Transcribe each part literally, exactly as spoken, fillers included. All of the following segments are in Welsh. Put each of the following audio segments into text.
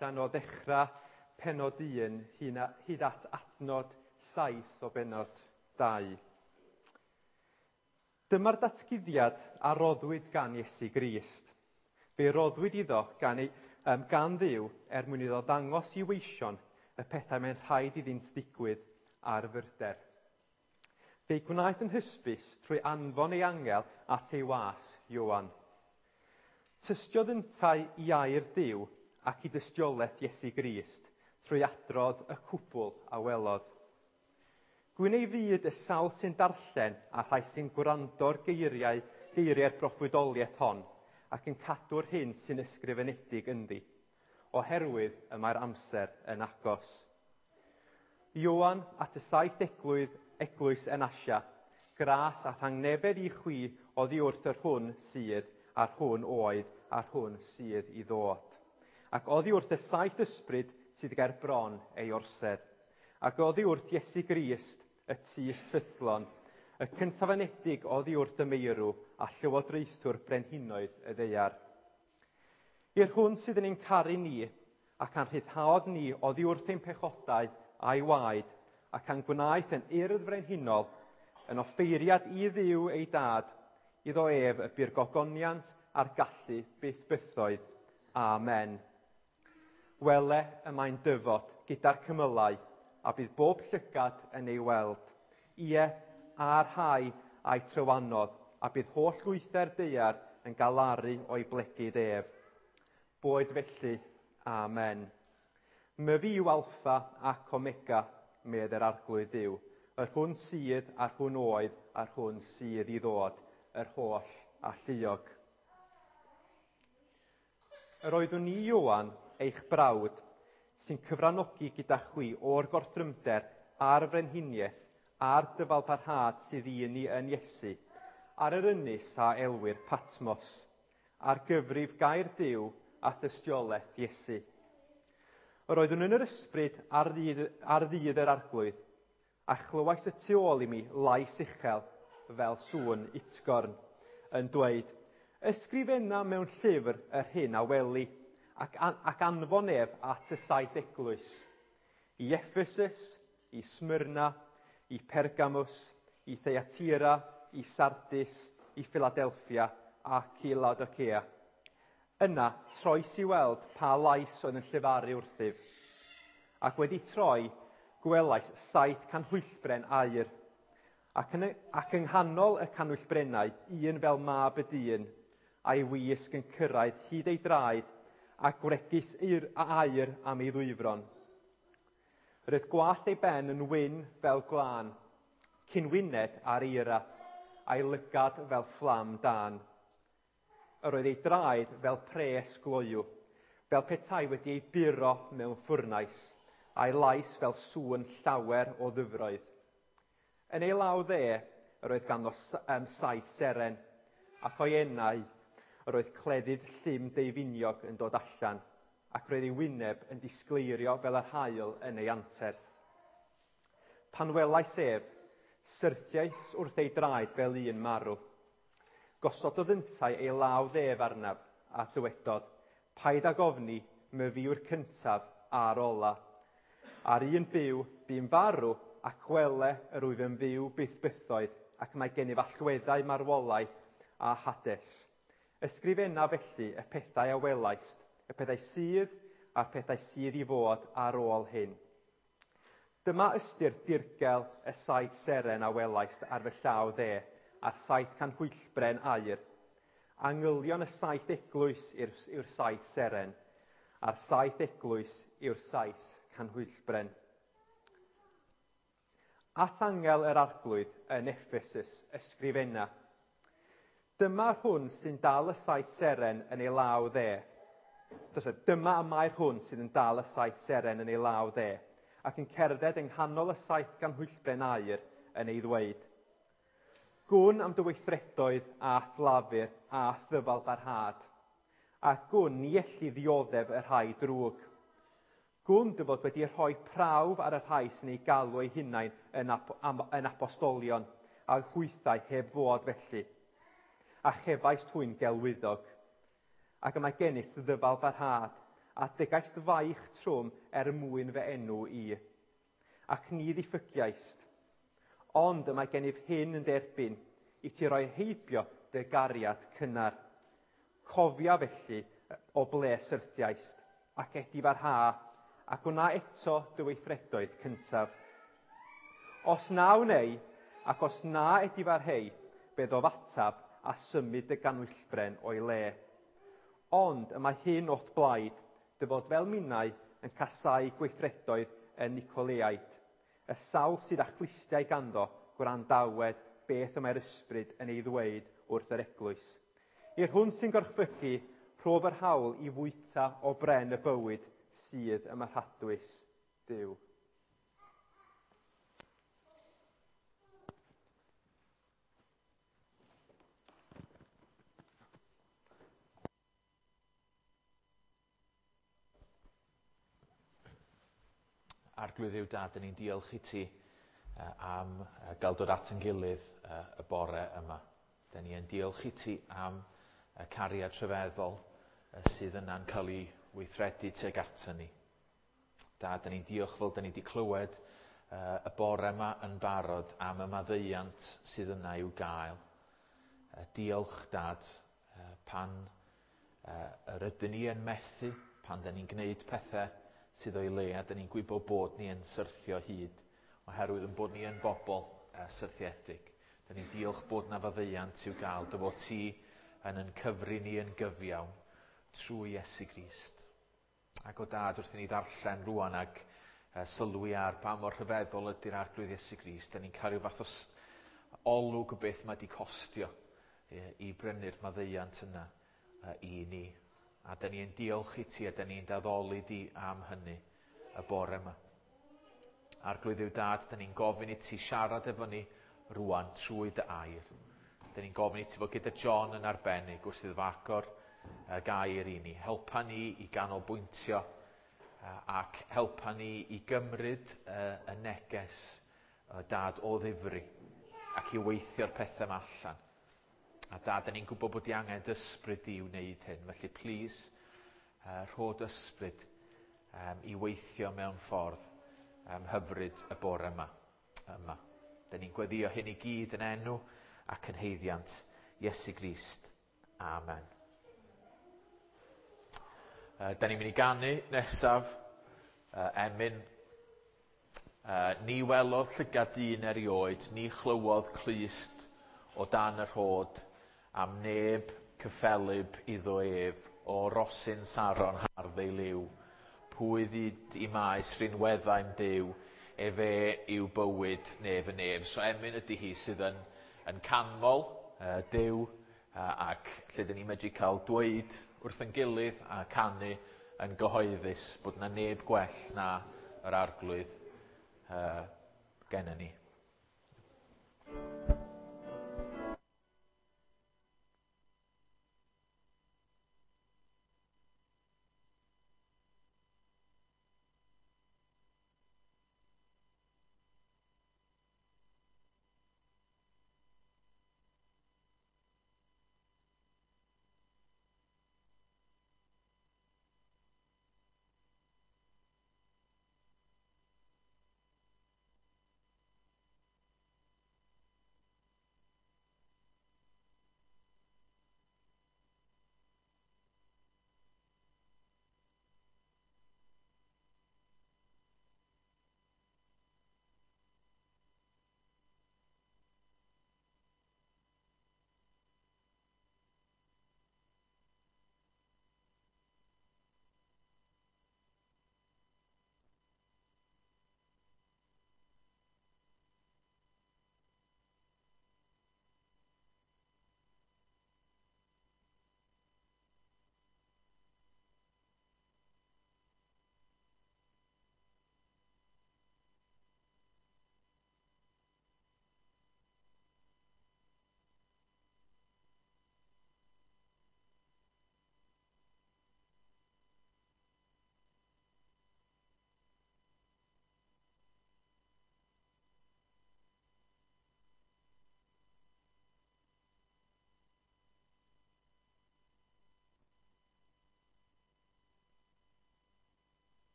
ddarllen o ddechrau pennod un hyd at adnod saith o bennod dau. Dyma'r datguddiad a roddwyd gan Iesu Grist. Fe roddwyd iddo gan, ei, um, gan Dduw er mwyn iddo ddangos i weision y pethau mae'n rhaid iddynt ddigwydd ar fyrder. Fe'i gwnaeth yn hysbys trwy anfon ei angel at ei was, Ioan. Tystiodd yntau i air Duw ac i dystiolaeth Iesu Grist trwy adrodd y cwbl a welodd. Gwyn ei fyd y sawl sy'n darllen a rhai sy'n gwrando'r geiriau, geiriau'r broffwydoliaeth hon ac yn cadw'r hyn sy'n ysgrifenedig ynddi, oherwydd y mae'r amser yn agos. Ioan at y saith eglwys, eglwys yn Asia, gras a thangnefedd i chwi oddi wrth yr hwn sydd, a'r hwn oedd, a'r hwn sydd i ddod. Ac oddi wrth y saith ysbryd sydd ger bron ei orsedd. Ac oddi wrth Iesu Grist, y tyst ffyddlon, y cyntafanedig oddi wrth y meirw a llywodraethwr brenhinoedd y ddaear. I'r hwn sydd yn ein caru ni, ac a'n rhyddhaodd ni oddi wrth ein pechodau a'i waed, ac a'n gwnaeth yn urdd frenhinol, yn offeiriad i Dduw ei dad, iddo ef y bu'r gogoniant a'r gallu byth bythoedd. Amen. Wele y mae'n dyfod gyda'r cymylau, a bydd bob llygad yn ei weld. Ie, a'r rhai a'i trywanodd, a bydd holl lwythau'r daear yn galaru o'i blegid ef. Boed felly, amen. Myfi yw Alffa ac Omega, medd yr Arglwydd Dduw, yr hwn sydd, a'r hwn oedd, a'r hwn sydd i ddod, yr holl alluog. Yr oeddwn i, Ioan, eich brawd, sy'n cyfranogi gyda chwi o'r gorthrymder a'r frenhiniaeth a'r dyfalbarhad sydd i ni yn Iesu, ar yr ynys a elwir Patmos, ar gyfrif gair Duw a thystiolaeth Iesu. Yr oeddwn yn yr ysbryd ar ddydd, ar ddydd yr Arglwydd, a chlywais y tu ôl i mi lais uchel fel sŵn utgorn, yn dweud, ysgrifenna mewn llyfr yr hyn a weli, ac, an, ac anfon ef at y saith eglwys, i Ephesus, i Smyrna, i Pergamus, i Thyatira, i Sardis, i Philadelphia ac i Laodicea. Yna, troes i weld pa lais oedd yn llefaru wrthyf. Ac wedi troi, gwelais saith canhwyllbren aur, ac yn, ac yng nghanol y canhwyllbrennau, un fel mab y dyn, a'i wisg yn cyrraedd hyd ei draed, a gwregys aur am ei ddwyfron. Roedd gwallt ei ben yn wyn fel glân, cyn-wyned ar eira, a'i lygad fel fflam dân. Yr oedd ei draed fel pres gloyw, fel petai wedi ei buro mewn ffwrnais, a'i lais fel sŵn llawer o ddyfroedd. Yn ei law dde, yr oedd ganddo um, saith seren, ac o'i enau, yr oedd cleddyf llym deufiniog yn dod allan, ac roedd ei wyneb yn disgleirio fel yr haul yn ei anterth. Pan welais ef, syrthiais wrth ei draed fel un marw. Gosododd yntau ei law ddef arnaf, a dywedodd, paid ag ofni, myfi yw'r cyntaf a'r ola. A'r un byw, bu'n farw, ac wele yr wyf yn fyw byth bythoedd, ac mae gennyf allweddau marwolaeth a Hades. Ysgrifenna felly y pethau a welaist, y pethau sydd a'r pethau sydd i fod ar ôl hyn. Dyma ystyr dirgel y saith seren a welaist ar fy llaw dde, a'r saith canhwyllbren aur. Angylion y saith eglwys yw'r, yw'r saith seren, a'r saith eglwys yw'r saith canhwyllbren. At angel yr Arglwydd yn Ephesus ysgrifenna. Dyma'r hwn sy'n dal y saith seren yn ei law dde. Dyma y mae'r hwn sydd yn dal y saith seren yn ei law dde, ac yn cerdded yng nghanol y saith ganhwyllbren aur yn ei ddweud. Gwn am dy weithredoedd a thlafur a thyfal barhad, a gwn ni elli ddioddef y rhai drwg. Gwn dy fod wedi rhoi prawf ar y rhai sy'n ei galw eu hunain yn, ap yn apostolion, a hwythau heb fod felly, a chefaist hwy'n gelwyddog. Ac y mae gennyt ddyfal barhad, a dygaist faich trwm er mwyn fy enw i. Ac ni ddiffygiaist. Ond y mae gennyf hyn yn derbyn, i ti roi heibio dy gariad cynnar. Cofia felly o ble syrthiaist, ac edifarha, a gwna eto dy weithredoedd cyntaf. Os na wnei, ac os na edifarhei, byddof atab a symud dy ganwyllbren o'i le. Ond y mae hyn o'th blaid, dy fod fel minnau yn casáu gweithredoedd y Nicoleaid. Y sawl sydd â chlustiau ganddo, gwrandawed beth y mae'r ysbryd yn ei ddweud wrth yr eglwys. I'r hwn sy'n gorchfygu, rhof yr hawl i fwyta o bren y bywyd sydd ym mharadwys Duw. Arglwydd Dduw Dad, 'dan ni'n diolch i ti am gael dod at ein gilydd y bore yma. 'Dan ni yn diolch i ti am y cariad rhyfeddol sydd yna'n cael ei weithredu tuag ato ni. Dad, 'dan ni'n diolch fel 'dan ni wedi clywed y bore yma yn barod am y maddeuant sydd yna i'w gael. Diolch, Dad, pan yr ydyn ni yn methu, pan 'dan ni'n gwneud pethau sydd o'i le, a 'dan ni'n gwybod bod ni yn syrthio hyd, oherwydd yn bod ni yn bobl syrthiedig. 'Dan ni'n diolch bod 'na faddeuant i'w gael, dy fod ti yn yn cyfri ni yn gyfiawn trwy Iesu Grist. Ac o Dad, wrth i ni ddarllen rwan ag sylwi ar pa mor rhyfeddol ydy'r Arglwydd Iesu Grist, 'dan ni'n cael rhyw fath o olwg o beth mae 'di costio i brynu'r maddeuant yna i ni. A 'dan ni'n diolch i ti a 'dan ni'n daddoli di am hynny y bore yma. Arglwydd Dduw Dad, 'dan ni'n gofyn i ti siarad efo ni rwan trwy dy air. 'Dan ni'n gofyn i ti fod gyda John yn arbennig wrth iddo fo agor y gair i ni. Helpa ni i ganolbwyntio ac helpa ni i gymryd y neges Dad o ddifri ac i weithio'r pethau yma allan. A Dad, 'dan ni'n gwybod bod di angen dy ysbryd di i wneud hyn. Felly, please, uh, rho dy ysbryd um, i weithio mewn ffordd um, hyfryd y bore yma. yma. 'Dan ni'n gweddio hyn i gyd yn enw ac yn haeddiant Iesu Grist. Amen. Uh, 'dan ni'n mynd i ganu nesaf uh, emyn. Uh, ni welodd llygad dyn erioed, ni chlywodd clust o dan y rhod, am neb cyffelyb iddo ef, o rosyn Saron hardd ei liw. Pwy ddyd i maes rinweddau'n Duw, efe yw bywyd nef y nef. So emyn ydy hi sydd yn, yn canmol uh, Duw, uh, ac lle dyn ni'n medru cael dweud wrth ein gilydd a canu yn gyhoeddus bod yna neb gwell na yr Arglwydd uh, gennyn ni.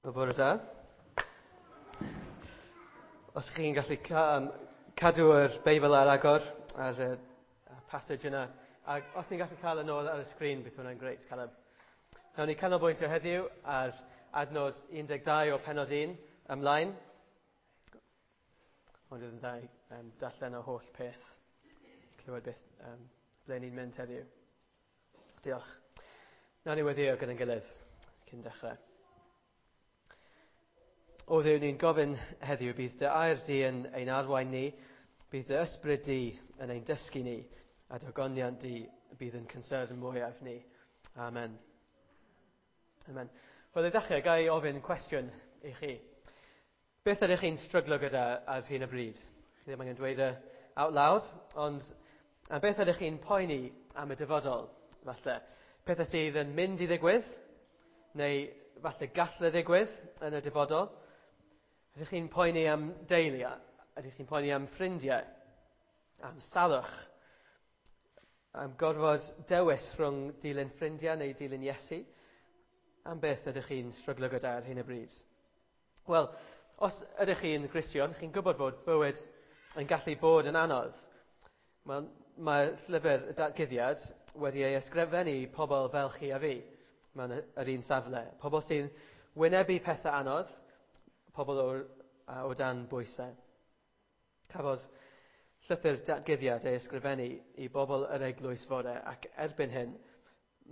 Wel, bore da. Os chi'n gallu ca um, cadw yr Beibl ar agor, ar y passage yna, ac os ni'n gallu cael yn ôl ar y sgrin, bydd hwnna'n grêt, Caleb. Nawn ni canolbwyntio heddiw ar adnod un deg dau o pennod un ymlaen. Ond oedd yn dda um, darllen o holl peth, clywed beth um, ble ni'n mynd heddiw. Diolch. Nawn ni weddïo gyda'n gilydd cyn dechrau. O Dduw, ni'n gofyn heddiw, bydd dy air di yn ein arwain ni, bydd dy ysbryd di yn ein dysgu ni, a dy ogoniant di bydd yn concern mwyaf ni. Amen. Amen. Wel, i ddechrau, ga i ofyn cwestiwn i chi. Beth ydych chi'n stryglo gyda ar hyn o bryd? Chi ddim angen dweud e out loud, ond a beth ydych chi'n poeni am y dyfodol, falle? Pethau sydd yn mynd i ddigwydd, neu falle gall e ddigwydd yn y dyfodol? Ydych chi'n poeni am deulu? Ydych chi'n poeni am ffrindiau? Am salwch? Am gorfod dewis rhwng dilyn ffrindiau neu dilyn Iesu? Am beth ydych chi'n stryglo gyda ar hyn o bryd? Wel, os ydych chi'n Gristion, chi'n gwybod bod bywyd yn gallu bod yn anodd. Wel, mae llyfr y Datguddiad wedi ei ysgrifennu i pobl fel chi a fi mewn yr un safle. Pobl sy'n wynebu pethau anodd, pobl o, o dan bwysau. Cafodd llythyr Datguddiad ei ysgrifennu i bobl yr eglwys fore, ac erbyn hyn,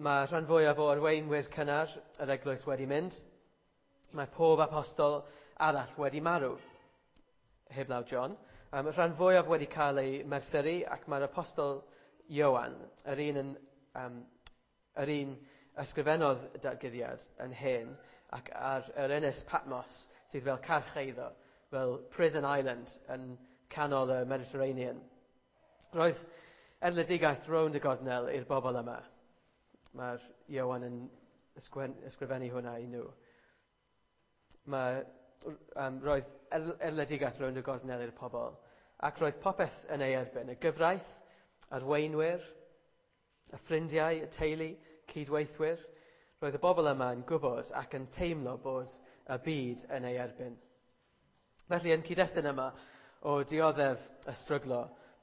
mae rhan fwyaf o arweinwyr cynnar yr eglwys wedi mynd. Mae pob apostol arall wedi marw, heblaw John. Um, rhan fwyaf wedi cael ei merthyru, ac mae'r apostol Ioan, yr un, yn, um, yr un ysgrifennodd Datguddiad yn hen, ac ar yr ynys Patmos, sydd fel carch eiddo, fel Prison Island yn canol y Mediterranean. Roedd erledigaeth rownd y gornel i'r bobl yma. Mae'r Ioan yn ysgrifennu hwnna i nhw. Mae, um, roedd erledigaeth rownd y gornel i'r pobl, ac roedd popeth yn ei erbyn. Y gyfraith, arweinwyr, y ffrindiau, y teulu, cydweithwyr. Roedd y bobl yma yn gwybod ac yn teimlo bod y byd yn ei erbyn. Felly, yn cyd-destun yma o dioddef y stryglo,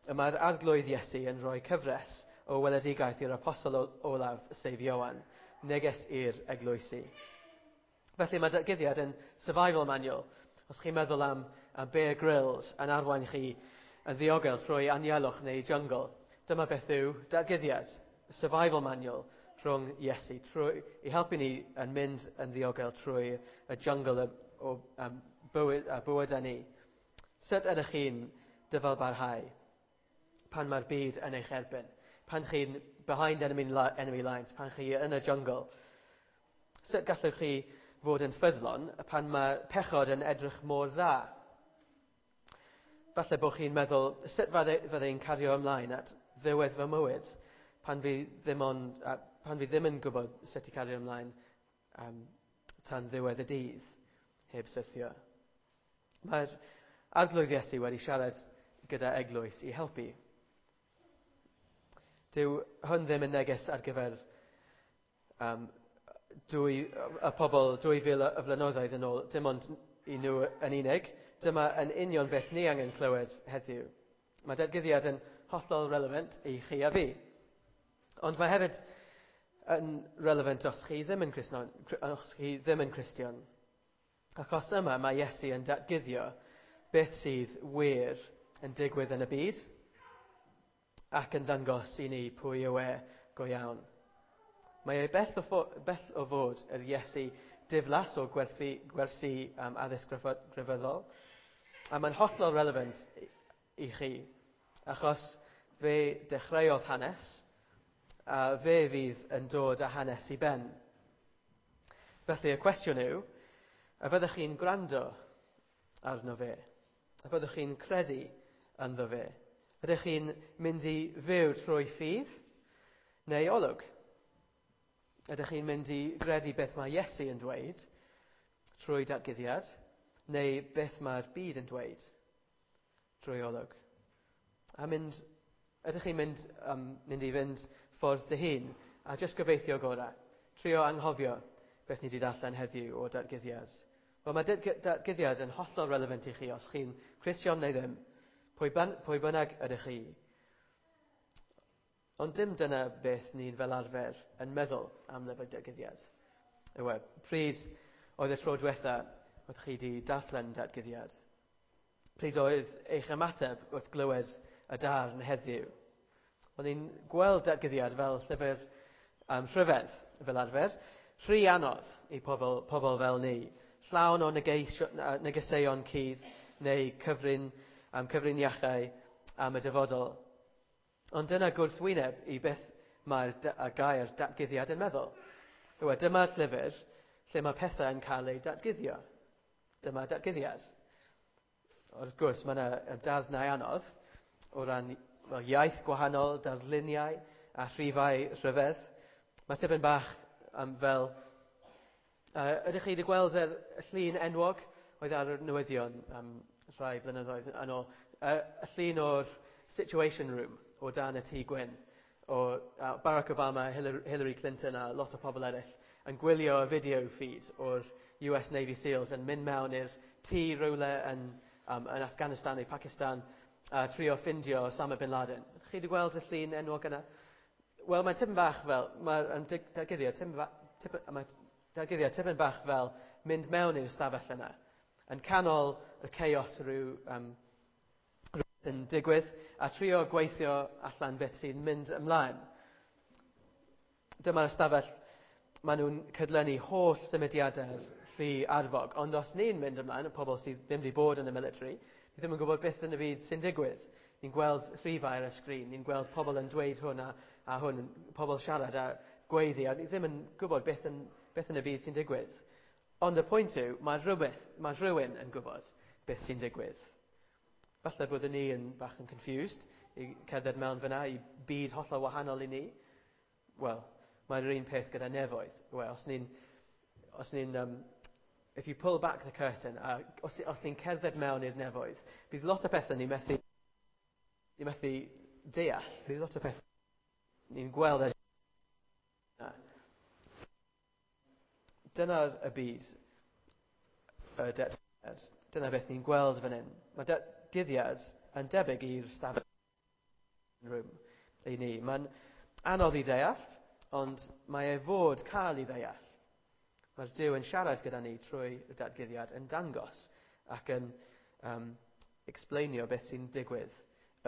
y mae'r Arglwydd Iesu yn rhoi cyfres o weledigaeth i'r apostol olaf, sef Ioan, neges i'r eglwysi. Felly mae Datguddiad yn survival manual. Os chi'n meddwl am, am Bear Grylls yn arwain chi yn ddiogel trwy anialwch neu jungle, dyma beth yw Datguddiad, survival manual rhwng Iesu, trwy, i helpu ni yn mynd yn ddiogel trwy y jungle o, o um, bywyd, a bywyd â ni. Sut ydych chi'n dyfalbarhau pan mae'r byd yn eich erbyn? Pan chi'n behind enemy, enemy lines, pan chi yn y jungle? Sut gallwch chi fod yn ffyddlon pan mae pechod yn edrych mor dda? Falle bod chi'n meddwl, sut fydde i'n cario ymlaen at ddiwedd fy mywyd pan fi ddim, on, pan fi ddim yn gwybod sut i cario ymlaen um, tan ddiwedd y dydd, heb syrthio. Mae'r Arglwydd Iesu wedi siarad gyda eglwys i helpu. Dyw hwn ddim yn neges ar gyfer um, dwy, y pobl dwy fil o flynyddoedd yn ôl, dim ond i nhw yn unig. Dyma yn union beth ni angen clywed heddiw. Mae Datguddiad yn hollol relevant i chi a fi. Ond mae hefyd yn relevant os chi ddim yn Cristion, os chi ddim yn Cristion. Achos yma mae Iesu yn datguddio beth sydd wir yn digwydd yn y byd ac yn ddangos i ni pwy yw e go iawn. Mae e bell o, ffo, bell o fod yr Iesu diflas o gwerthu, gwersi um, addysg grefyddol, a mae'n hollol relevant i chi, achos fe dechreuodd hanes, a fe fydd yn dod â hanes i ben. Felly y cwestiwn yw, a fyddwch chi'n gwrando arno fe? A fyddwch chi'n credu ynddo fe? Ydych chi'n mynd i fyw trwy ffydd neu olwg? Ydych chi'n mynd i gredu beth mae Iesu yn dweud trwy datguddiad, neu beth mae'r byd yn dweud trwy olwg? A mynd, ydych chi'n mynd, um, mynd i fynd ffordd dy hun a jyst gobeithio gorau? Trio anghofio beth ni wedi darllen heddiw o datguddiad. Wel, mae datguddiad yn hollol relevant i chi os chi'n Cristion neu ddim, pwy, ban, pwy bynnag ydych chi. Ond dim dyna beth ni'n fel arfer yn meddwl am lyfr datguddiad. Yw e, pryd oedd y tro diwetha oedd chi wedi darllen datguddiad? Pryd oedd eich ymateb wrth glywed y darn heddiw? O'n i'n gweld datguddiad fel llyfr um, rhyfedd fel arfer, rhy anodd i pobl, pobl fel ni, llawn o negeisio, negeseuon cudd neu cyfrin, um, cyfriniachau am y dyfodol. Ond dyna gwrthwyneb i beth mae'r gair datguddiad yn meddwl. Yw e, dyma'r llyfr lle mae pethau yn cael eu datguddio. Dyma datguddiad. Wrth gwrs, mae yna darnau anodd o ran well, iaith gwahanol, darluniau a rhifau rhyfedd. Mae tipyn bach um, fel... Uh, ydych chi wedi gweld y llun enwog oedd ar y newyddion um, rhai blynyddoedd yn ôl? Uh, y llun o'r Situation Room o dan y Tŷ Gwyn, o uh, Barack Obama, Hillary, Hillary Clinton a lot o pobl eraill yn gwylio y video feed o'r U S Navy SEALs yn mynd mewn i'r tŷ rhywle yn, um, yn Afghanistan neu Pakistan a trio ffindio Osama Bin Laden. Ydych chi wedi gweld y llun enwog yna? Wel, mae'n tipyn bach fel, mae'r datguddiad tipyn, mae datguddiad tipyn bach fel mynd mewn i'r stafell yna. Yn canol y chaos rhyw, um, rhywbeth yn digwydd a trio gweithio allan beth sy'n mynd ymlaen. Dyma'r ystafell, maen nhw'n cydlynu holl symudiadau'r llu arfog, ond os ni'n mynd ymlaen, y pobl sydd ddim wedi bod yn y military, ni ddim yn gwybod beth yn y byd sy'n digwydd. Ni'n gweld rhifau ar y sgrin, ni'n gweld pobl yn dweud hwn a, a hwn, pobl siarad a gweiddi, a ni ddim yn gwybod beth yn, beth yn y byd sy'n digwydd. Ond y pwynt yw, mae rhywbeth, mae rhywun yn gwybod beth sy'n digwydd. Falle byddwn ni yn bach yn confused i cerdded mewn fyna i byd hollol wahanol i ni. Wel, mae'r un peth gyda nefoedd. Wel, os ni'n, os ni'n, um, if you pull back the curtain, a os, os ni'n cerdded mewn i'r nefoedd, bydd lot o pethau ni'n methu, ni'n methu deall. Bydd lot o pethau ni'n gweld ar. Dyna'r y byd, y datguddiad. Dyna beth ni'n gweld fan hyn. Mae datguddiad yn debyg i'r stafell room i ni. Mae'n anodd i ddeall, ond mae e fod cael ei ddeall. Mae'r Duw yn siarad gyda ni trwy y datguddiad yn dangos ac yn um, explainio beth sy'n digwydd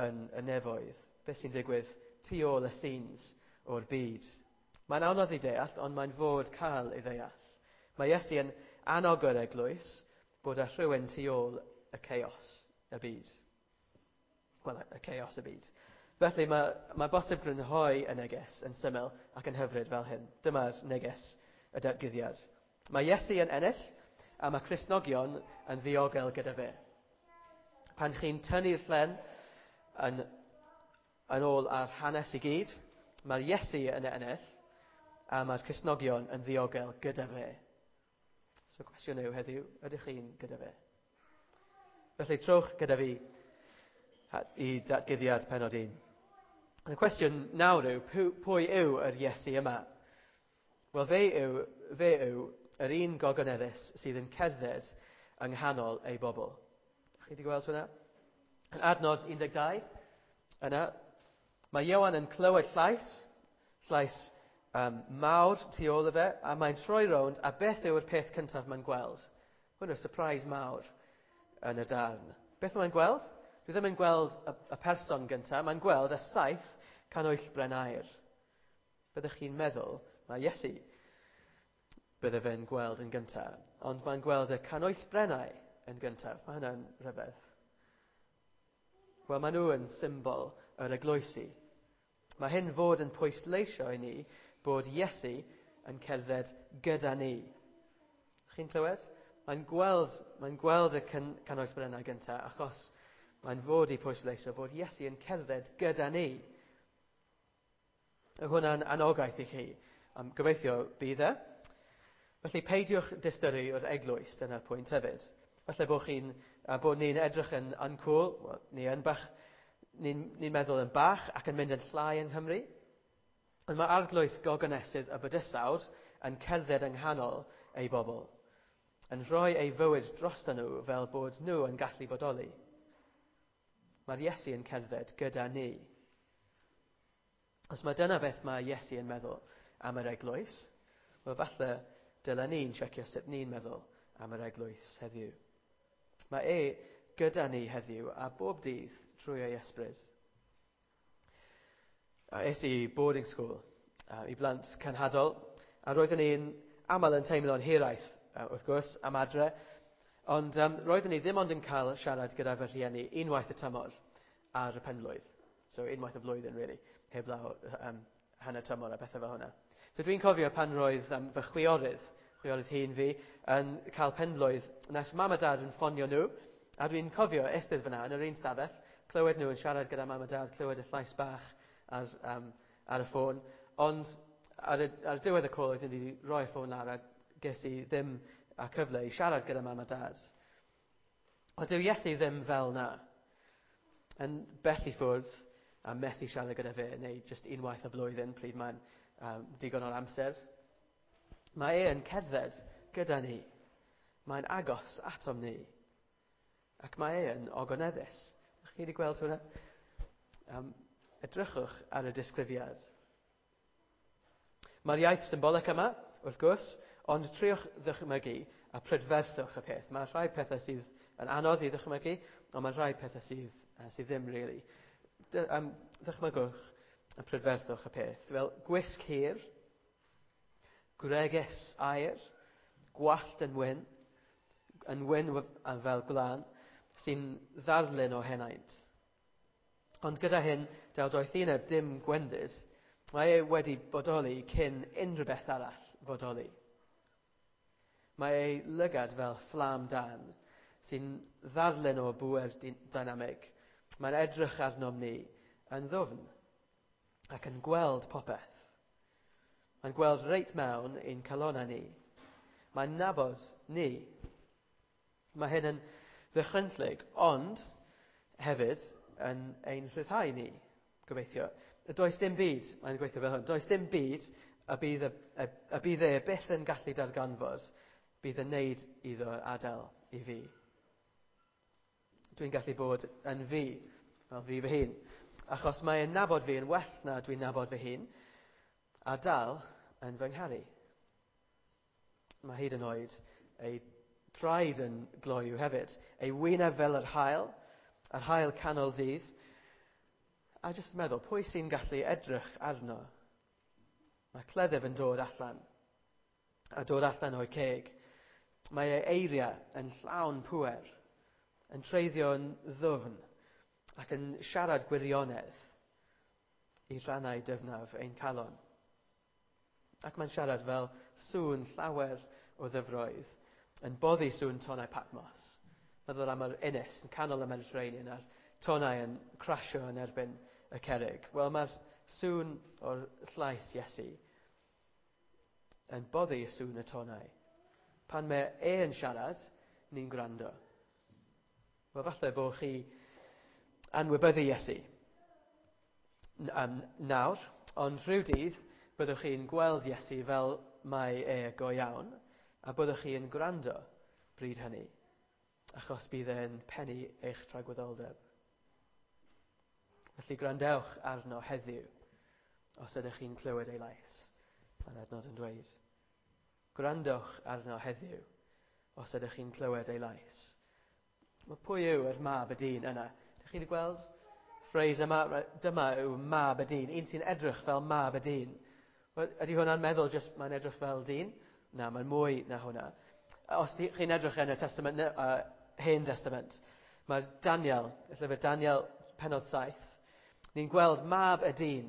yn y nefoedd, beth sy'n digwydd tu ôl y scenes o'r byd. Mae'n anodd i deall, ond mae'n fod cael ei ddeall. Mae Iesu yn annog yr eglwys bod â rhywun tu ôl y chaos y byd. Wel, y chaos y byd. Felly mae, mae bosib grynhoi y neges yn syml ac yn hyfryd fel hyn. Dyma'r neges y datguddiad. Mae Iesu yn ennill a mae Cristnogion yn ddiogel gyda fe. Pan chi'n tynnu'r llen yn, yn ôl ar hanes i gyd, mae'r Iesu yn ennill a mae'r Cristnogion yn ddiogel gyda fe. So cwestiwn yw heddiw, ydych chi'n gyda fe? Felly trowch gyda fi i datguddiad pennod un. Y cwestiwn nawr yw, pwy yw yr Iesu yma? Wel, fe yw, fe yw yr un gogoneddus sydd yn cerdded yng nghanol ei bobl. Chi wedi gweld hwnna? Yn adnod un deg dau, yna, mae Ioan yn clywed llais, llais um, mawr tu ôl i fe, a mae'n troi rownd, a beth yw'r peth cyntaf mae'n gweld? Hwn yw'r surprise mawr yn y darn. Beth mae'n gweld? Dwi ddim yn gweld y, y person gyntaf, mae'n gweld y saith canwyllbren aur. Byddwch chi'n meddwl, mae Iesu bydde fe'n gweld yn gyntaf, ond mae'n gweld y canwyllbrennau yn gyntaf. Mae hynna'n rhyfedd. Wel, maen nhw yn symbol yr eglwysi. Mae hyn fod yn pwysleisio i ni bod Iesu yn cerdded gyda ni. Chi'n clywed? Mae'n gweld, mae'n gweld y can, canwyllbrennau gyntaf achos mae'n fod i pwysleisio bod Iesu yn cerdded gyda ni. Hwnna'n anogaeth i chi. Um, gobeithio bydd e. Felly peidiwch diystyru o'r eglwys, dyna'r pwynt hefyd. Falle bod chi'n, uh, bod ni'n edrych yn uncool, well, ni yn bach, ni'n ni meddwl yn bach ac yn mynd yn llai yng Nghymru. Ond mae arglwydd gogonesydd y bydysawd yn cerdded yng nghanol ei bobl. yn rhoi ei fywyd drosto nhw fel bod nhw yn gallu bodoli. Mae'r Iesu yn cerdded gyda ni. Os mae dyna beth mae Iesu yn meddwl am yr eglwys, wel falle dylen ni'n checio sut ni'n meddwl am yr eglwys heddiw. Mae e gyda ni heddiw a bob dydd trwy ei ysbryd. A es i boarding school uh, i blant cenhadol, a roeddwn i'n aml yn teimlo'n hiraeth, uh, wrth gwrs, am adre, ond um, roeddwn i ddim ond yn cael siarad gyda fy rhieni unwaith y tymor ar y penblwydd. So unwaith y flwyddyn, really, heblaw um, hanner tymor a bethau fel hwnna. So dwi'n cofio pan roedd um, fy chwiorydd, chwiorydd hŷn fi, yn cael penblwydd, nes mam a dad yn ffonio nhw, a dwi'n cofio eistedd fyna yn yr un stafell, clywed nhw yn siarad gyda mam a dad, clywed y llais bach ar, um, ar y ffôn, ond ar y, ar y diwedd y call oeddwn i wedi rhoi y ffôn lawr a ges i ddim a cyfle i siarad gyda mam a dad. Ond dyw Iesu ddim fel na. Yn bell i ffwrdd a methu siarad gyda fe, neu jyst unwaith y blwyddyn pryd mae'n um, digon o'r amser. Mae e yn cerdded gyda ni. Mae'n agos atom ni. Ac mae e yn ogoneddus. Ydych chi wedi gweld hwnna? Um, edrychwch ar y disgrifiad. Mae'r iaith symbolic yma, wrth gwrs, ond triwch ddychmygu a prydferthwch y peth. Mae rhai pethau sydd yn anodd i ddychmygu, ond mae rhai pethau sydd, uh, sydd ddim really. Dy, um, ddychmygwch a prydferthwch y peth. Fel gwisg hir, gwregys aur, gwallt yn wyn, yn wyn a fel gwlân, sy'n ddarlun o henaint. Ond gyda hyn, daw doethineb dim gwendid, mae e wedi bodoli cyn unrhyw beth arall fodoli. Mae ei lygad fel fflam dan, sy'n ddarlun o bŵer dynamig. Mae'n edrych arnom ni yn ddwfn ac yn gweld popeth. Mae'n gweld reit mewn i'n calonnau ni. Mae'n nabod ni. Mae hyn yn ddychrynllyd, ond hefyd yn ein rhyddhau ni, gobeithio. Does dim byd, mae'n gweithio fel hwn, does dim byd y bydd, y, y, y bydd e byth yn gallu darganfod bydd yn neud iddo adael i fi. Dwi'n gallu bod yn fi, fel fi fy hun, achos mae'n nabod fi yn well na dwi'n nabod fy hun, a dal yn fy ngharu. Mae hyd yn oed ei traed yn gloyw hefyd, ei wyneb fel yr haul, yr haul canol dydd, a jyst meddwl, pwy sy'n gallu edrych arno? Mae cleddyf yn dod allan, a dod allan o'i ceg. Mae ei eiriau yn llawn pŵer, yn treiddio'n ddwfn, ac yn siarad gwirionedd i rannau dyfnaf ein calon. Ac mae'n siarad fel sŵn llawer o ddyfroedd, yn boddi sŵn tonnau Patmos. Meddwl am yr ynys yn canol y Mediterranean a'r tonnau yn crasio yn erbyn y cerrig. Wel, mae'r sŵn o'r llais Iesu yn boddi sŵn y tonnau. Pan mae e yn siarad, ni'n gwrando. Wel, falle bod chi anwybyddu Iesu um, nawr, ond rhyw dydd byddwch chi'n gweld Iesu fel mae e go iawn, a byddwch chi'n gwrando bryd hynny, achos bydd e'n pennu eich tragwyddoldeb. Felly gwrandewch arno heddiw, os ydych chi'n clywed ei lais, mae'n adnod yn dweud. Gwrandewch arno heddiw, os ydych chi'n clywed ei lais. Wel, pwy yw yr mab y dyn yna? Ydych chi wedi gweld phrase yma? Dyma yw mab y dyn, un sy'n edrych fel mab y dyn. Wel, ydy hwnna'n meddwl jyst mae'n edrych fel dyn? Na, mae'n mwy na hwnna. Os chi'n edrych yn y Testament, uh, Hen Testament, mae Daniel, y llyfr Daniel pennod saith, ni'n gweld mab y dyn,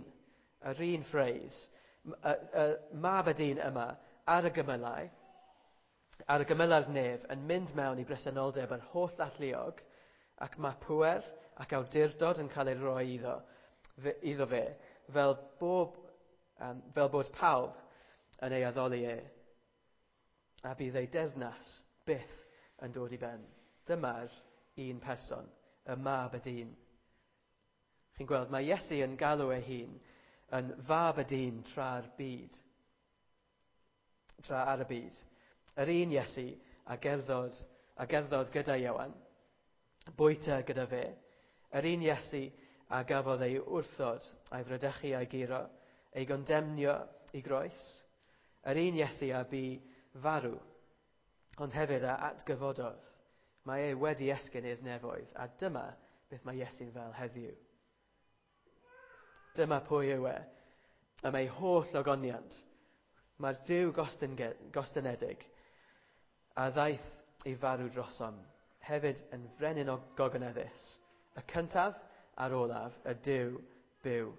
yr un phrase, y, y, mab y dyn yma ar y gymylau, ar y gymylau'r nef, yn mynd mewn i bresenoldeb yr holl alluog, ac mae pŵer ac awdurdod yn cael ei roi iddo, fe, iddo fe, fel, bob, um, fel bod pawb yn ei addoli e. A bydd ei deyrnas byth yn dod i ben. Dyma'r un person, y mab y dyn. Chi'n gweld, mae Iesu yn galw ei hun yn fab y dyn tra'r byd. Tra ar y byd. Yr un Iesu a gerddod, a gerddodd gyda Ioan, bwyta gyda fe, yr un Iesu a gafodd ei wrthod a'i fradychu a'i guro, ei gondemnio i groes, yr un Iesu a bu farw, ond hefyd a atgyfododd. Mae e wedi esgyn i'r nefoedd, a dyma beth mae Iesu'n fel heddiw. Dyma pwy yw e, am ei holl ogoniant. Mae'r Duw gostynedig a ddaeth i farw drosom, hefyd yn frenin o gogoneddus, y cyntaf a'r olaf, y Duw byw.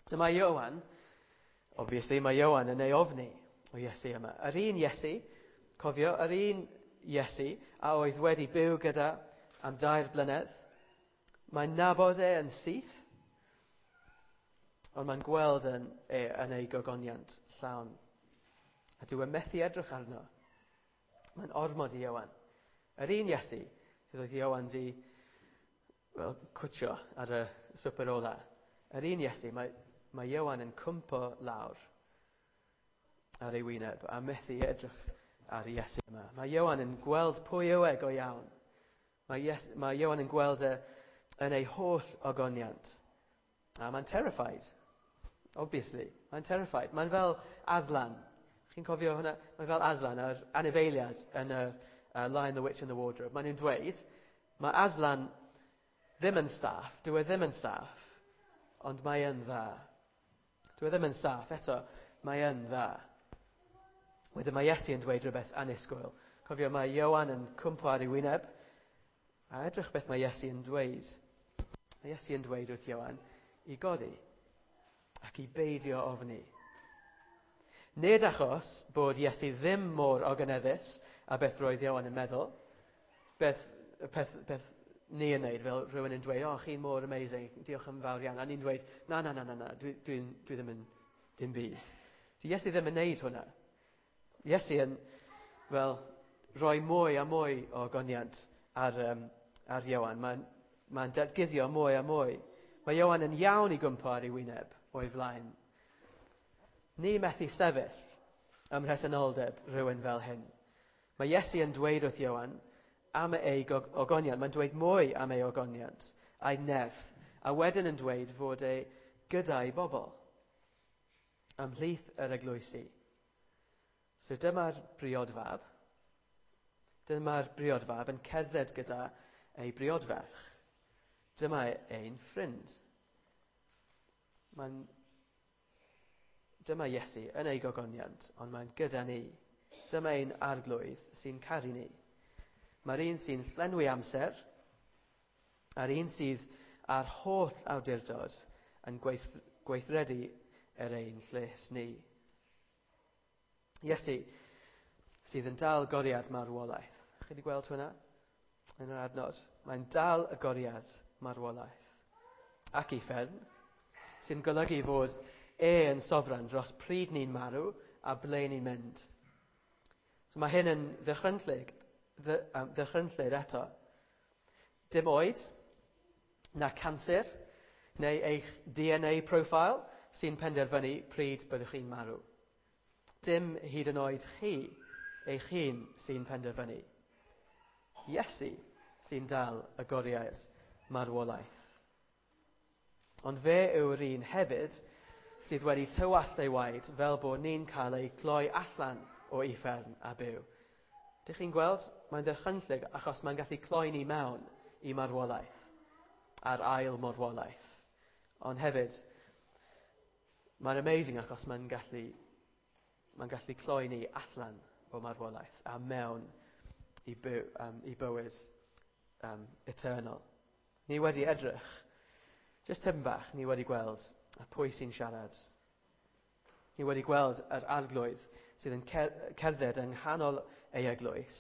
So mae Ioan, obviously mae Ioan yn ei ofni o Iesu yma. Yr un Iesu, cofio, yr un Iesu a oedd wedi byw gyda am dair blynedd, mae'n nabod e yn syth, ond mae'n gweld yn, e, yn ei gogoniant llawn. A dyw e methu edrych arno. Mae'n ormod i Ioan. Yr un Iesu, sydd oedd Ioan di well, cwtio ar y swper ola. Yr un Iesu, mae, mae Ioan yn cwmpo lawr ar ei wyneb a methu edrych ar Iesu yma. Mae Ioan yn gweld pwy yw e go iawn. Mae, Ies, mae Ioan yn gweld e yn ei holl ogoniant. A mae'n terrified. Obviously. Mae'n terrified. Mae'n fel Aslan. Chi'n cofio hwnna? Mae'n fel Aslan, yr anifeiliad yn y uh, Lion, the Witch and the Wardrobe. Mae'n nhw'n dweud, mae Aslan ddim yn saff, dyw e ddim yn saff, ond mae yn dda. Dyw e ddim yn saff, eto, mae yn dda. Wedyn mae Iesu yn dweud rhywbeth annisgwyl. Cofio, mae Ioan yn cwmpo ar ei wyneb, a edrych beth mae Iesu yn dweud. Mae Iesu yn dweud wrth Ioan i godi ac i beidio ofni. Nid achos bod Iesu ddim mor ogoneddus a beth roedd Ioan yn meddwl, beth, peth, beth ni yn neud, fel rhywun yn dweud, o, oh, chi'n mor amazing, diolch yn fawr iawn. A ni'n dweud, na, na, na, na, na, dwi, dwi, dwi ddim yn dim byd. Di Iesu ddim yn neud hwnna. Iesu yn, fel, rhoi mwy a mwy o goniant ar, um, ar Ioan. Mae'n mae datguddio mwy a mwy. Mae Ioan yn iawn i gwmpo ar ei wyneb o'i flaen. Ni methu sefyll ym mhresenoldeb rhywun fel hyn. Mae Iesu yn dweud wrth Ioan am ei ogoniant. Mae'n dweud mwy am ei ogoniant a'i nerth, a wedyn yn dweud fod e gyda'i bobl ymhlith yr eglwysi. So dyma'r briodfab. Dyma'r briodfab yn cerdded gyda ei briodferch. Dyma ein ffrind. Mae'n Dyma Iesu yn ei gogoniant, ond mae'n gyda ni. Dyma ein arglwydd sy'n caru ni. Mae'r un sy'n llenwi amser, a'r un sydd â'r holl awdurdod yn gweith, gweithredu er ein lles ni. Iesu sydd yn dal goriad marwolaeth. Chi wedi gweld hwnna yn yr adnod? Mae'n dal y goriad marwolaeth. Ac uffern, sy'n golygu fod e yn sofran dros pryd ni'n marw a ble ni'n mynd. So mae hyn yn ddychrynllyd, ddychrynllyd eto. Dim oed, na canser, neu eich D N A profile sy'n penderfynu pryd byddwch chi'n marw. Dim hyd yn oed chi, eich hun sy'n penderfynu. Iesu sy'n dal y goriad marwolaeth. Ond fe yw'r un hefyd sydd wedi tywallt ei waed fel bod ni'n cael ei cloi allan o uffern a byw. Dych chi'n gweld? Mae'n ddychrynllyd achos mae'n gallu cloi ni mewn i marwolaeth, a'r ail marwolaeth. Ond hefyd, mae'n amazing achos mae'n gallu, mae'n gallu cloi ni allan o marwolaeth a mewn i, byw, um, i bywyd um, eternal. Ni wedi edrych, just tipyn bach, ni wedi gweld a pwy sy'n siarad. Ni wedi gweld yr arglwydd sydd yn cerdded yng nghanol ei eglwys.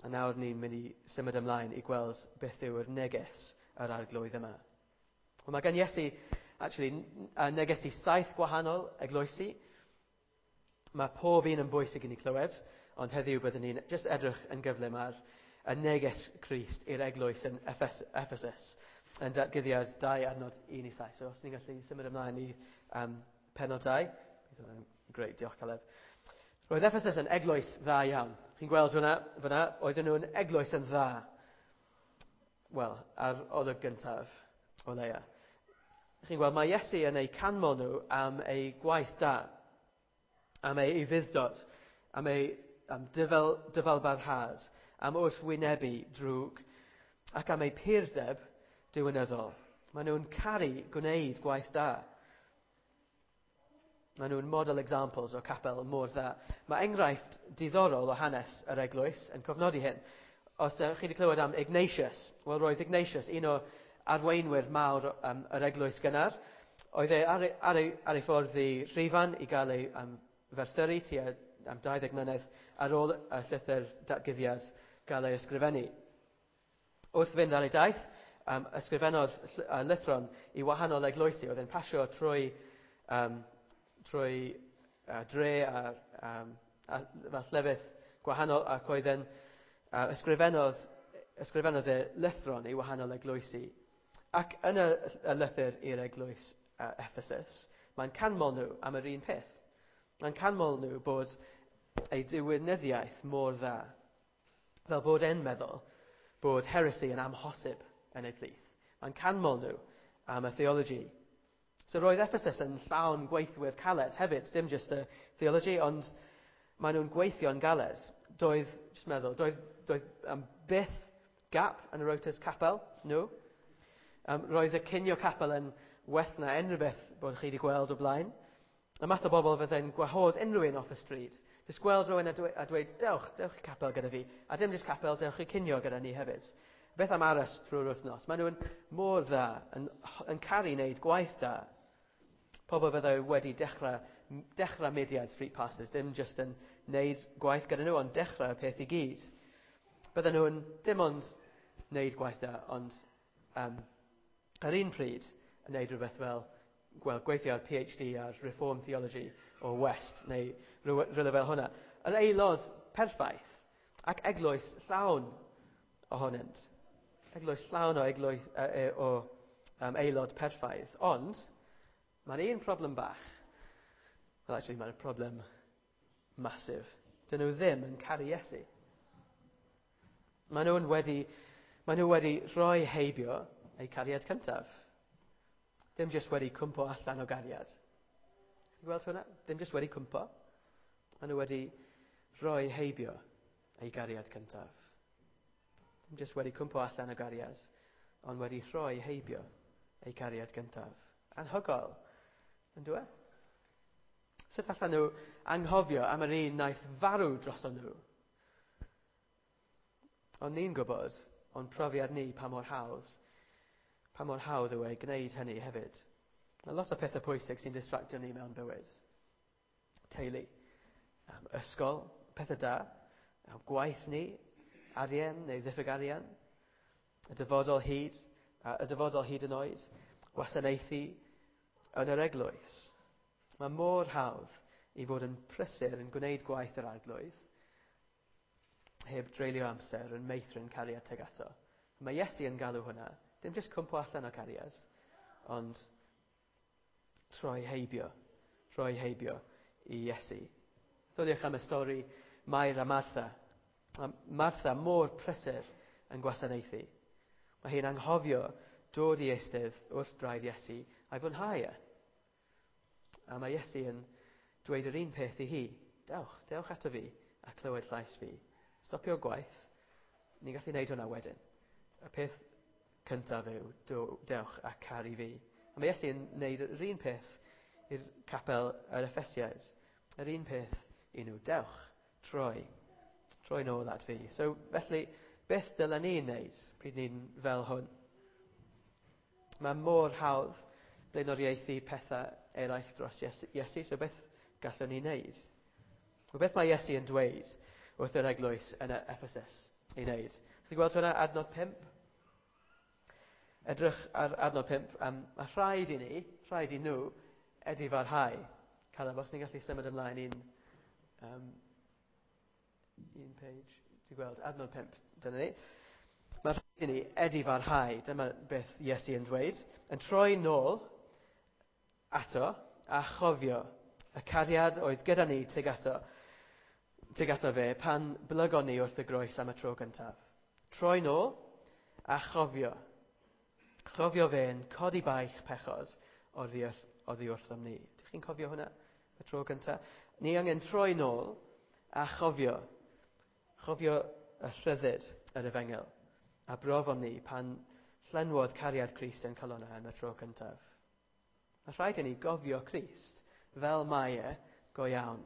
A nawr ni'n mynd i symud ymlaen i gweld beth yw'r neges yr arglwydd yma. Wel, mae gan Iesu actually, neges i saith gwahanol eglwysi. Mae pob un yn bwysig i ni clywed, ond heddiw byddwn ni'n just edrych yn gyflym ar y neges Crist i'r eglwys yn Ephes Ephesus, yn datguddiad dau adnod un i saith. So os ni'n gallu symud ymlaen i um, pennod dau. Great, diolch Caleb. Roedd Ephesus yn eglwys dda iawn. Chi'n gweld hwnna fyna? Oedden nhw'n eglwys yn dda. Wel, ar olwg gyntaf o leia. Chi'n gweld, mae Iesu yn eu canmol nhw am eu gwaith da, am eu ufudd-dod, am eu am dyfal, dyfalbarhad, am wrthwynebu drwg, ac am eu purdeb diwinyddol. Maen nhw'n caru gwneud gwaith da. Maen nhw'n model examples o capel mor dda. Mae enghraifft diddorol o hanes yr eglwys yn cofnodi hyn. Os uh, chi wedi clywed am Ignatius, wel roedd Ignatius, un o arweinwyr mawr um, yr eglwys gynnar, oedd e ar, ar, ei, ar ei ffordd i Rhufain i gael ei um, ferthyru tua am dau ddeg mlynedd ar ôl y llythyr datguddiad gael ei ysgrifennu. Wrth fynd ar ei daith, um, ysgrifennodd uh, lythron i wahanol eglwysi. Oedd e'n pasio trwy, um, trwy uh, dre a, um, a fel llefydd gwahanol, ac oedd e'n uh, ysgrifennodd, ysgrifennodd e lythron i wahanol eglwysi. Ac yn y, y lythyr i'r eglwys uh, Ephesus, mae'n canmol nhw am yr un peth. Mae'n canmol nhw bod ei diwinyddiaeth mor dda, fel bod e'n meddwl bod heresy yn amhosib yn ei plith. Mae'n canmol nhw am y theology. So roedd Ephesus yn llawn gweithwyr caled hefyd, dim just y theology, ond maen nhw'n gweithio'n galed. Doedd, just meddwl, doedd, doedd um, byth gap yn y rotas capel, nhw. Um, roedd y cinio capel yn well na unrhyw beth bod chi wedi gweld o blaen. Y math o bobl fydde'n gwahodd unrhyw un off y stryd. Jyst gweld rhywun a, dwe, a dweud, dewch, dewch i capel gyda fi. A dim jyst capel, dewch i cinio gyda ni hefyd. Beth am aros trwy'r wythnos? Maen nhw'n mor dda, yn, yn caru wneud gwaith da. Pobl fyddai wedi dechrau, dechrau mudiad Street Pastors, dim jyst yn wneud gwaith gyda nhw, ond dechrau y peth i gyd. Bydden nhw'n dim ond wneud gwaith da, ond um, ar un pryd yn wneud rhywbeth fel well, gweithio ar P H D ar Reform Theology o West, neu rhywle fel hwnna. Yr aelod perffaith ac eglwys llawn ohonynt. Eglwys llawn o, eglwys, uh, o um, aelod perffaith. Ond, mae'n un problem bach. Well, actually, mae'n problem masif. Dyn nhw ddim yn caru Iesu. Maen nhw'n wedi, maen nhw wedi rhoi heibio eu cariad cyntaf. Dim jyst wedi cwmpo allan o gariad. Chi'n gweld hwnna? Dim jyst wedi cwmpo. Maen nhw wedi rhoi heibio eu gariad cyntaf. Dim jyst wedi cwmpo allan o gariad, ond wedi rhoi heibio eu cariad cyntaf. Anhygoel, yn dwi? Sut allan nhw anghofio am yr un wnaeth farw droson nhw? Ond ni'n gwybod, o'n profiad ni pa mor hawdd, pa mor hawdd yw e gwneud hynny hefyd. Mae lot o pethau pwysig sy'n distractio ni mewn bywyd. Teulu, um, ysgol, pethau da, um, gwaith ni, arian neu ddiffyg arian, y dyfodol hyd, uh, y dyfodol hyd yn oed, gwasanaethu yn yr eglwys. Mae mor hawdd i fod yn prysur yn gwneud gwaith yr Arglwydd heb dreulio amser yn meithrin cariad tuag ato. Mae Iesu yn galw hwnna, dim jyst cwmpo allan o cariad, ond troi heibio, rhoi heibio i Iesu. Dodiwch am y stori Mair a Martha. Martha mor prysur yn gwasanaethu. Mae hi'n anghofio dod i eistedd wrth draed Iesu a'i fwynhau e. A mae Iesu yn dweud yr un peth i hi. Dewch, dewch ato fi a clywed llais fi. Stopio gwaith. Ni'n gallu gwneud hwnna wedyn. Y peth cyntaf yw, dewch a caru fi. A mae Iesu yn gwneud yr un peth i'r capel yr Effesiaid. Yr un peth i nhw, dewch, troi, troi nôl at fi. So, felly, beth dylen ni wneud pryd ni'n fel hwn? Mae mor hawdd blaenoriaethu pethau eraill dros Iesu, so beth gallwn ni wneud? Wel, beth mae Iesu yn dweud wrth yr eglwys yn Ephesus i wneud? Chi'n gweld hwnna, adnod pump? Edrych ar adnod pump, um, mae rhaid i ni, rhaid i nhw, edifarhau. Caleb, os ni'n gallu symud ymlaen un, um, un page, ti'n gweld, adnod pump, dyna ni. Mae rhaid i ni edifarhau, dyma beth Iesu yn dweud, yn troi nôl ato a chofio y cariad oedd gyda ni tuag ato tuag ato fe pan blygon ni wrth y groes am y tro gyntaf. Troi nôl a chofio. Chofio fe'n codi baich pechod oddi wrth, oddi wrthom ni. Dych chi'n cofio hwnna? Y tro gyntaf? Ni angen troi nôl a chofio. Chofio y rhyddid yr efengyl. A brofon ni pan llenwodd cariad Crist yn calonnau am y tro cyntaf. Mae rhaid i ni gofio Crist fel mae e go iawn.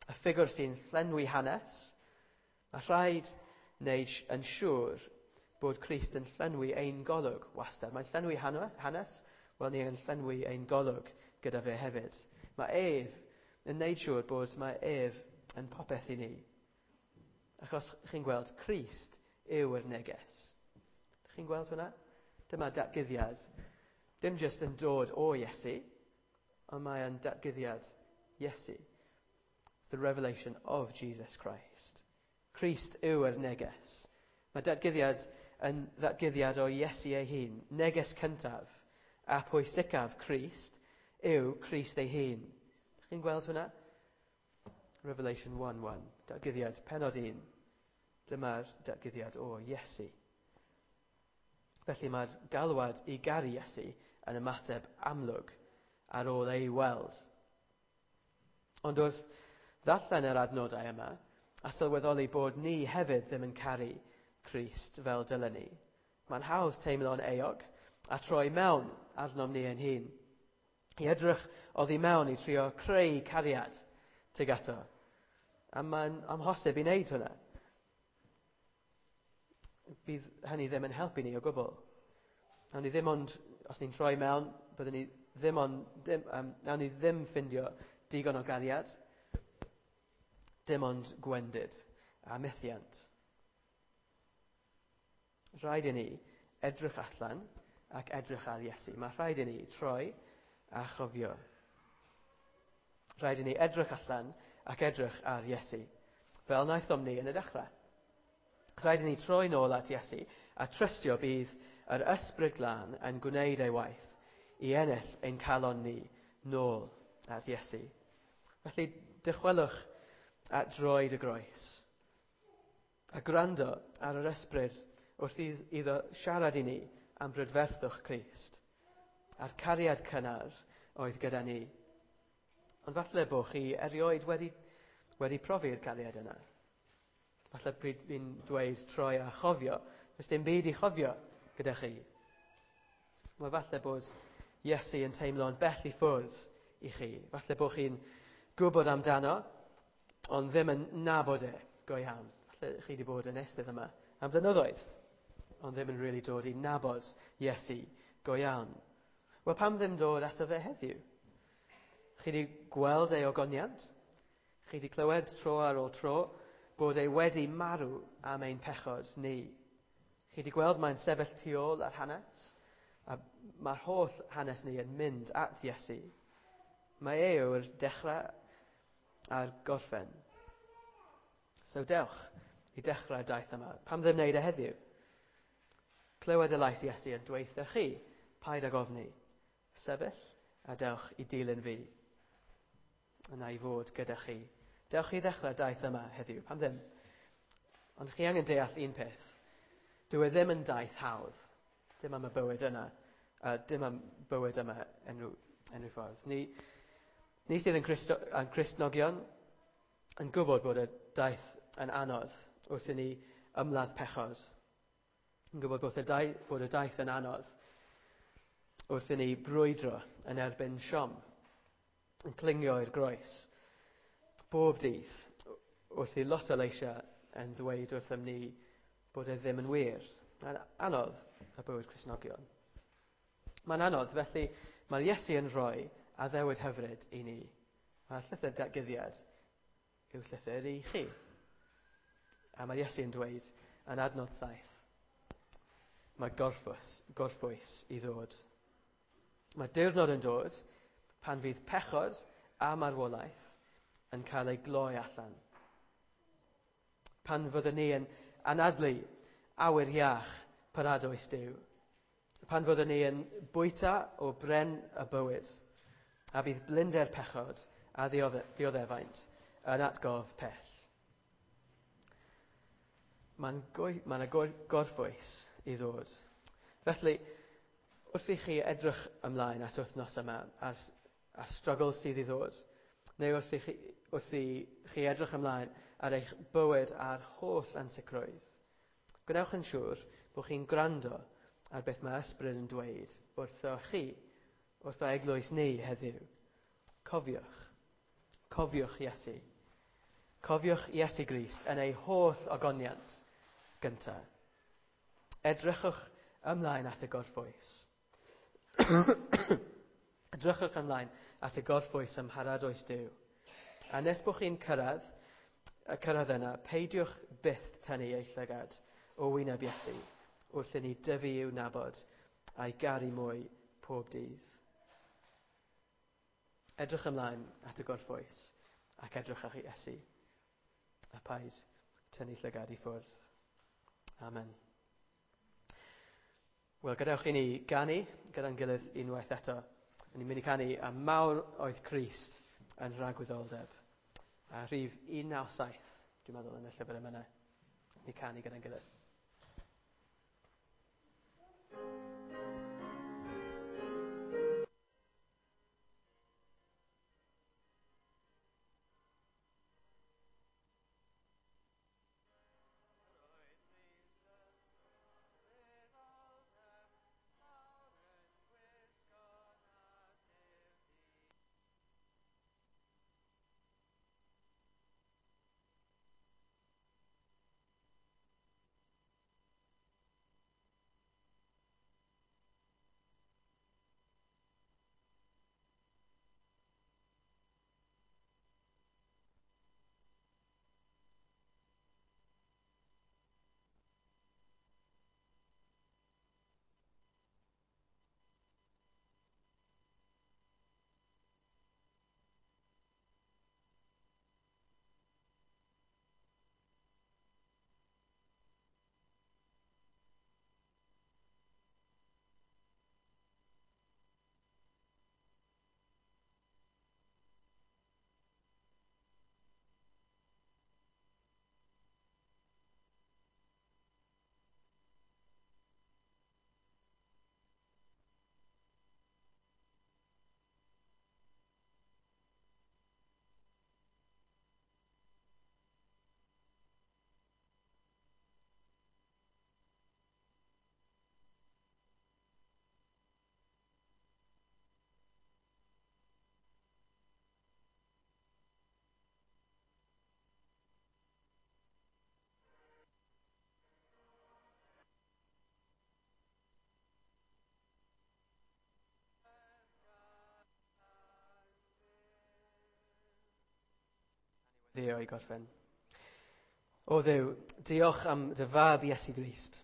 Y ffigwr sy'n llenwi hanes, mae rhaid wneud yn siŵr bod Crist yn llenwi ein golwg wastad. Mae'n llenwi hanes, wel ni yn llenwi ein golwg gyda fe hefyd. Mae ef yn wneud siŵr bod mae ef yn popeth i ni. Achos chi'n gweld, Crist yw'r neges. Chi'n gweld hwnna? Dyma datguddiad. Dim jyst yn dod o Iesu, ond mae yn datguddiad Iesu. It's the revelation of Jesus Christ. Crist yw'r neges. Mae datguddiad yn ddatguddiad o Iesu ei hun. Neges cyntaf a pwysicaf Crist yw Crist ei hun. Chi'n gweld hwnna? Revelation one one. Datguddiad pennod un. Dyma'r datguddiad o Iesu. Felly mae'r galwad i garu Iesu yn ymateb amlwg ar ôl ei weld. Ond wrth ddarllen yr adnodau yma, a sylweddoli bod ni hefyd ddim yn caru Crist fel dylen ni, mae'n hawdd teimlo'n euog a troi mewn arnom ni ein hun. I edrych oddi mewn i trio creu cariad tuag ato. A mae'n amhosib i wneud hwnna. Bydd hynny ddim yn helpu ni o gwbl. Nawn ni ddim ond, os ni'n troi mewn, byddwn ni ddim ond, dim, um, nawn ni ddim ffindio digon o gariad, dim ond gwendid a methiant. Rhaid i ni edrych allan ac edrych ar Iesu. Mae rhaid i ni troi a chofio. Rhaid i ni edrych allan ac edrych ar Iesu, fel wnaethom ni yn y dechrau. Rhaid i ni troi nôl at Iesu a trystio bydd yr Ysbryd Glân yn gwneud ei waith i ennill ein calon ni nôl at Iesu. Felly dychwelwch at droed y groes a gwrando ar yr Ysbryd wrth iddo siarad i ni am brydferthwch Crist a'r cariad cynnar oedd gyda ni. Ond falle bod chi erioed wedi, wedi profi'r cariad yna. Falle pryd fi'n dweud troi a chofio, does dim byd i chofio gyda chi. Mae falle bod Iesu yn teimlo'n bell i ffwrdd i chi. Falle bod chi'n gwybod amdano, ond ddim yn nabod e go iawn. Falle chi wedi bod yn eistedd yma am flynyddoedd, ond ddim yn really dod i nabod Iesu go iawn. Wel, pam ddim dod ato fe heddiw? Chi wedi gweld ei ogoniant? Chi wedi clywed tro ar ôl tro bod e wedi marw am ein pechod ni. Chi wedi gweld mae'n sefyll tu ôl ar hanes, a mae'r holl hanes ni yn mynd at Iesu. Mae e yw'r dechrau a'r gorffen. So dewch i dechrau'r daith yma. Pam ddim wneud e heddiw? Clywed y lais Iesu yn dweutha chi, paid ag ofni. Sefyll a dewch i dilyn fi. Yna i fod gyda chi. Dewch i ddechrau'r daith yma heddiw, pam ddim? Ond chi angen deall un peth. Dyw e ddim yn daith hawdd. Dim am y bywyd yna. Uh, dim am bywyd yma enw, enw ffordd. Ni, ni sydd yn, Christo, yn Cristnogion yn gwybod bod y daith yn anodd wrth i ni ymladd pechod. Yn gwybod bod y daith, bod y daith yn anodd wrth i ni brwydro yn erbyn siom, yn clingio i'r groes. Bob dydd, wrth i lot o leisiau yn ddweud wrthym ni bod e ddim yn wir. Mae'n anodd y bywyd Cristnogion. Mae'n anodd, felly mae'r Iesu yn rhoi addewid hyfryd i ni. Mae'r llythyr datguddiad yw llythyr i chi. A mae'r Iesu yn dweud yn adnod saith, mae gorffwys, gorffwys i ddod. Mae diwrnod yn dod pan fydd pechod a marwolaeth yn cael ei gloi allan. Pan fyddwn ni yn anadlu awyr iach paradoes Duw. Pan fyddwn ni yn bwyta o bren y bywyd, a bydd blinder pechod a dioddefaint yn atgof pell. Mae'n ma yna gorffwys i ddod. Felly, wrth i chi edrych ymlaen at wythnos yma a'r, a'r struggle sydd i ddod, neu wrth i chi, wrth i chi edrych ymlaen ar eich bywyd a'r holl ansicrwydd, gwnewch yn siŵr bod chi'n gwrando ar beth mae ysbryd yn dweud wrtho chi, wrtho eglwys ni heddiw. Cofiwch. Cofiwch Iesu. Cofiwch Iesu Grist yn ei holl ogoniant gyntaf. Edrychwch ymlaen at y gorffwys. Edrychwch ymlaen at y gorffwys ym mharadwys Duw. A nes bod chi'n cyrraedd, y cyrraedd yna, peidiwch byth tynnu eich llygad o wyneb Iesu wrth i ni dyfu i'w nabod a'i garu mwy pob dydd. Edrych ymlaen at y gorffwys ac edrych ar Iesu. A paid tynnu llygad i ffwrdd. Amen. Wel, gadewch i ni ganu gyda'n gilydd unwaith eto. Ni'n mynd i canu a mawr oedd Crist yn rhagwyddoldeb. A rhif un naw saith, dwi'n meddwl, yn y llyfr yma. Ni canu gyda'n gilydd. Ddio i gorffen. O Dduw, diolch am dy fab Iesu Grist.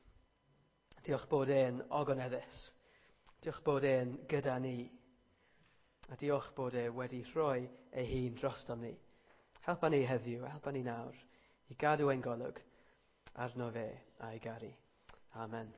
Diolch bod e'n ogoneddus. Diolch bod e'n gyda ni. A diolch bod e wedi rhoi ei hun drostom ni. Helpa ni heddiw, helpa ni nawr i gadw ein golwg arno fe a'i garu. Amen.